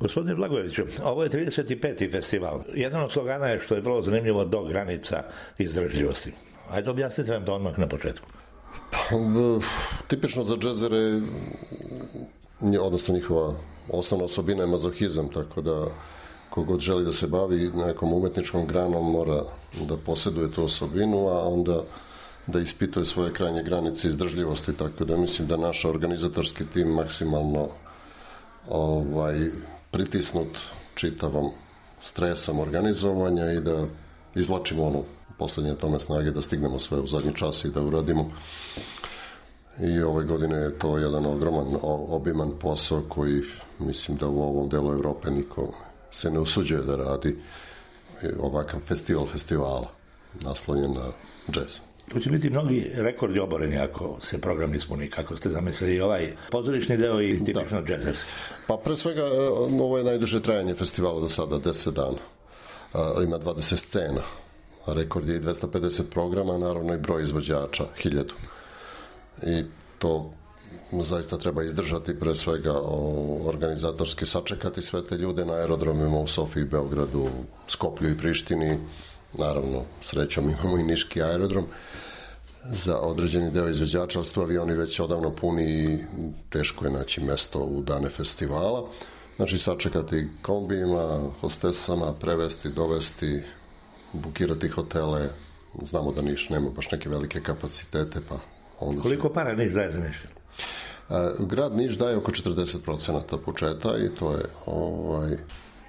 Gospodine Blagojeviću, ovo je 35. festival. Jedan od slogana je, što je vrlo zanimljivo, do granica izdržljivosti. Ajde objasnite nam to odmah na početku. Tipično za džezere, odnosno njihova osnovna osobina je mazohizam, tako da kogod želi da se bavi nekom umetničkom granom mora da posjeduje tu osobinu, a onda da ispituje svoje krajnje granice izdržljivosti, tako da mislim da naš organizatorski tim maksimalno pritisnut čitavom stresom organizovanja i da izvlačimo poslednje tome snage da stignemo sve u zadnji čas i da uradimo. I ove godine je to jedan ogroman, obiman posao koji mislim da u ovom delu Evrope niko se ne usuđuje da radi ovakav festivala naslonjen na džez. Tu će biti mnogi rekordi oboreni ako se program ispuni, kako ste zamislili ovaj pozorišni deo i tipično džezerski. Pa pre svega ovo je najduže trajanje festivala do sada, 10 dana. Ima 20 scena. Rekord je i 250 programa, naravno i broj izvođača, 1000. I to zaista treba izdržati, pre svega organizatorski sačekati sve te ljude na aerodromima u Sofiji, Beogradu, Skoplju i Prištini. Naravno, srećom imamo i niški aerodrom za određeni deo izvođača, ali su avioni već odavno puni i teško je naći mesto u dane festivala. Znači, sačekati kombijima, hostesama, prevesti, dovesti, bukirati hotele. Znamo da Niš nema baš neke velike kapacitete, pa onda... Koliko para Niš daje za Niš? Grad Niš daje oko 40% budžeta i to je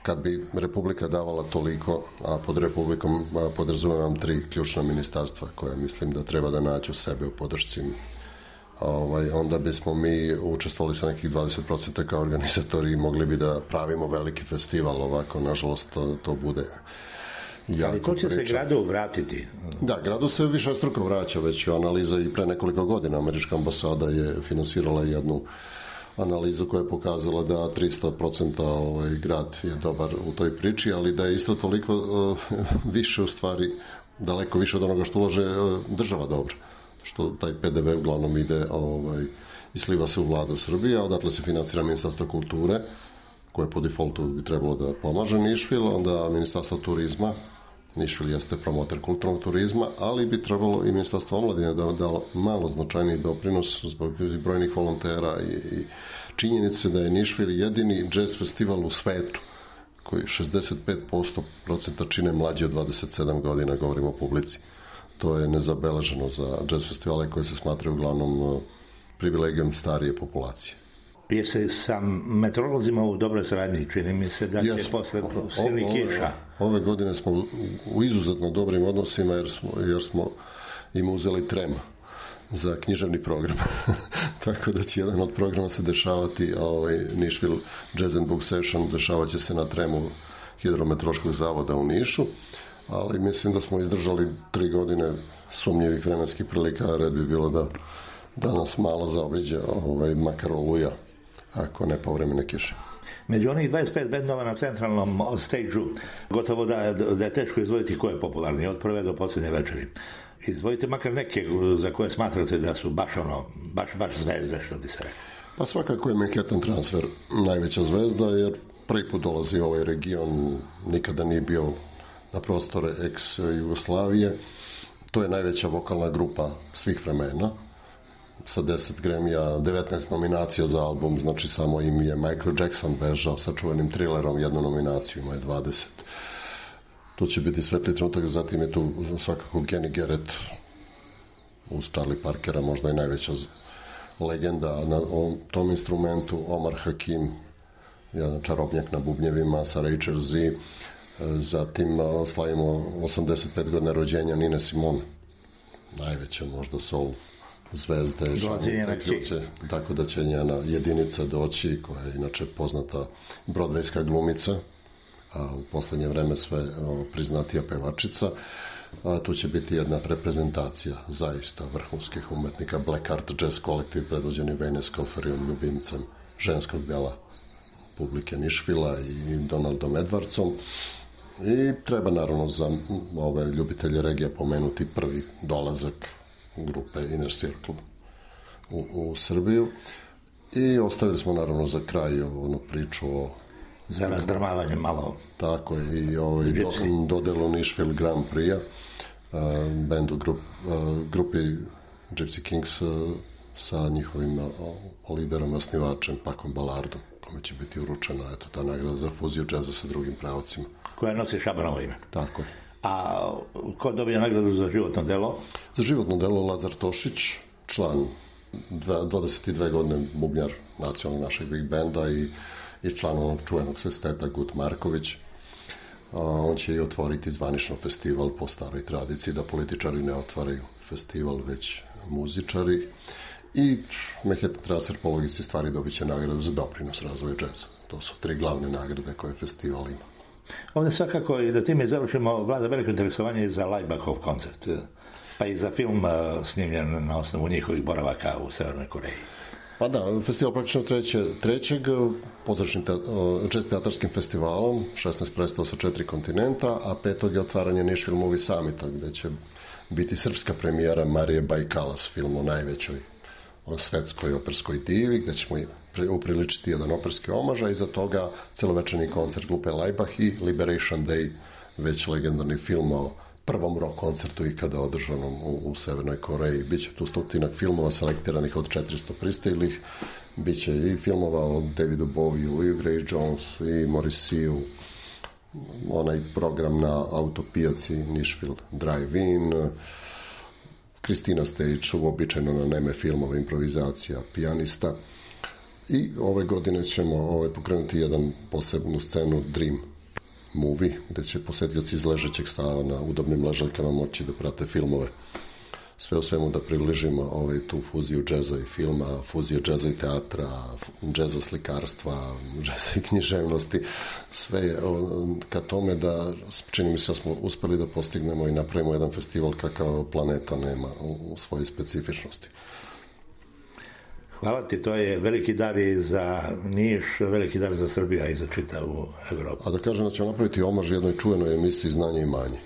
kad bi Republika davala toliko, a pod Republikom podrazumevam 3 ključna ministarstva koja mislim da treba da nađu sebe u podršci, onda bismo mi učestvovali sa nekih 20% kao organizatori i mogli bi da pravimo veliki festival. Ovako, nažalost, to bude jako. Ali to će se gradu vratiti? Da, gradu se višestruko vraća, već analiza i pre nekoliko godina. Američka ambasada je finansirala jednu analizu koja je pokazala da 300% grad je dobar u toj priči, ali da je isto toliko više, u stvari daleko više od onoga što ulože država dobro, što taj PDV uglavnom ide i sliva se u vladu Srbije, a odatle se finansira Ministarstvo kulture, koje po defaultu bi trebalo da pomaže Nišvil, onda Ministarstvo turizma. Nišvil jeste promotor kulturnog turizma, ali bi trebalo i Ministarstvo omladine da da malo značajniji doprinos zbog brojnih volontera i činjenice da je Nišvil jedini džez festival u svetu koji 65% čine mlađi od 27 godina, govorimo o publici. To je nezabeleženo za džez festivale koji se smatraju uglavnom privilegijom starije populacije. Je se sa meteorolozima u dobroj saradnji, čini mi se da će posle silnih kiša. Ove godine smo u izuzetno dobrim odnosima jer smo im uzeli trema za književni program. Tako da će jedan od programa se dešavati, Nišvil Jazz and Book Session dešavat će se na tremu Hidrometeorološkog zavoda u Nišu, ali mislim da smo izdržali 3 godine sumnjivih vremenskih prilika, red bi bilo da nas malo zaobiđe makar oluja, ako ne povremene kiše. Među onih 25 bendova na centralnom stage-u, gotovo da je teško izvojiti ko je popularni od prve do posljednje večeri. Izvojite makar neke za koje smatrate da su baš zvezde, što bi se rekao. Pa svakako je Manhattan Transfer najveća zvezda, jer prvi put dolazi u ovaj region, nikada nije bio na prostore ex-Jugoslavije. To je najveća vokalna grupa svih vremena, sa 10 Grammy-a, 19 nominacija za album, znači samo im je Michael Jackson bežao sa čuvenim Thrillerom, jednu nominaciju, ima je 20. To će biti svetli trenutak, zatim je tu svakako Kenny Garrett uz Charlie Parkera, možda i najveća legenda na tom instrumentu, Omar Hakim, jedan čarobnjak na bubnjevima sa Rachel Z, zatim slavimo 85 godina rođenja Nine Simone, najveća možda soul zvezde, ključe, tako da će njena jedinica doći, koja je inače poznata brodvejska glumica, a u poslednje vreme sve priznatija pevačica. Tu će biti jedna reprezentacija zaista vrhunskih umetnika, Black Art Jazz kolektiv predvođeni Vejne Skoferijom, ljubimcem ženskog dela publike Nišvila i Donaldom Edwardsom. I treba naravno za ove ljubitelje regija pomenuti prvi dolazak grupe Inner Circle u Srbiju. I ostavili smo naravno za kraj onu priču za razdramavanje malo. Tako je, i dodelu Nashville Grand Prix-a bendu grupi Gypsy Kings sa njihovim liderom, osnivačem Pacom Ballardom, kome će biti uručena ta nagrada za fuziju džeza sa drugim pravcima. Koja nosi Šabanovo ime. Tako je. A ko dobija nagradu za životno delo? Za životno delo Lazar Tošić, član 22 godine bubnjar nacionalnog našeg big benda i član onog čuvenog sesteta Gut Marković. On će i otvoriti zvanično festival po staroj tradiciji, da političari ne otvaraju festival, već muzičari. I Manhattan Transfer po logici stvari dobit će nagradu za doprinos razvoju džeza. To su 3 glavne nagrade koje festival ima. Ovdje svakako, i da time završimo, vlada veliko interesovanje i za Laibachov koncert, pa i za film snimljen na osnovu njihovih boravaka u Severnoj Koreji. Pa da, festival praktično trećeg pozdračnim jazz teatarskim festivalom, 16 predstava sa 4 kontinenta, a 5. je otvaranje Nashville Movie Summita, gde će biti srpska premijera Marije Bajkalas, film o najvećoj svetskoj operskoj divi, gde ćemo upriličiti jedan operski omaž, a iza toga celovečerni koncert grupe Laibach i Liberation Day, već legendarni film o prvom rock koncertu ikada održanom u Severnoj Koreji. Biće tu 100 filmova selektiranih od 400 pristiglih, biće i filmova o Davidu Bowieu, i Grace Jones, i Morrissey, onaj program na autopijaci Nashville Drive-In, Kristina Stage, uobičajeno na neme filmove, improvizacija, pijanista. I ove godine ćemo pokrenuti jedan posebnu scenu Dream Movie, gde će posetioci iz ležećeg stava na udobnim ležaljkama moći da prate filmove. Sve u svemu da približimo tu fuziju džeza i filma, fuziju džeza i teatra, džeza slikarstva, džeza i književnosti. Sve je ka tome da, čini mi se, smo uspeli da postignemo i napravimo jedan festival kakav planeta nema u svojoj specifičnosti. Hvala ti, to je veliki dar i za Niš, veliki dar za Srbiju i za čitavu Evropu. A da kažem da ćemo napraviti omaž jednoj čuvenoj emisiji Znanje i manje.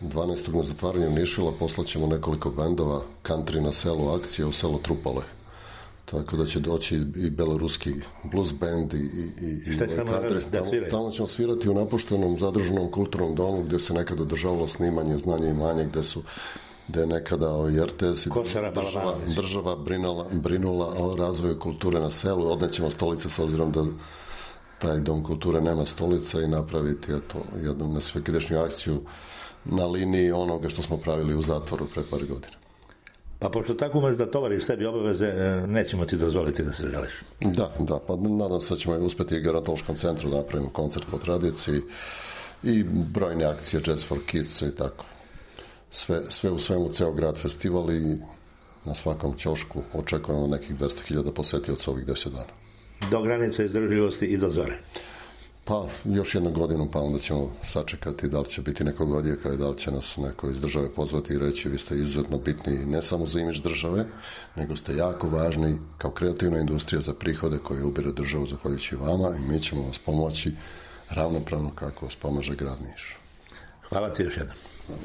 12. na zatvaranju Nišvila poslaćemo nekoliko bendova country na selu akcije u selo Trupale. Tako da će doći i beloruski blues band i country. Tamo ćemo svirati u napuštenom zadržanom kulturnom domu gdje se nekada održavalo snimanje Znanje i manje, gde je nekada i RTS i država brinula o razvoju kulture na selu. Odnećemo stolice s obzirom da taj dom kulture nema stolica i napraviti jednu nesvekidešnju akciju na liniji onoga što smo pravili u zatvoru pre par godina. Pa pošto tako možeš da tovariš sebi obaveze, nećemo ti dozvoliti da se želiš. Da, pa nadam se da ćemo uspeti i gerontološkom centru da napravimo koncert po tradiciji i brojne akcije Jazz for Kids i tako. Sve u svemu, ceo grad festival i na svakom ćošku očekujemo nekih 200.000 posetioca ovih 10 dana. Do granice izdržljivosti i do zore. Pa još jednu godinu, pa onda ćemo sačekati da li će biti nekog odjeka i da li će nas neko iz države pozvati i reći vi ste izuzetno bitni ne samo za imidž države, nego ste jako važni kao kreativna industrija za prihode koje ubire državu zahvaljujući vama i mi ćemo vas pomoći ravnopravno kako vas pomaže grad Niš. Hvala ti još jednom. Hvala.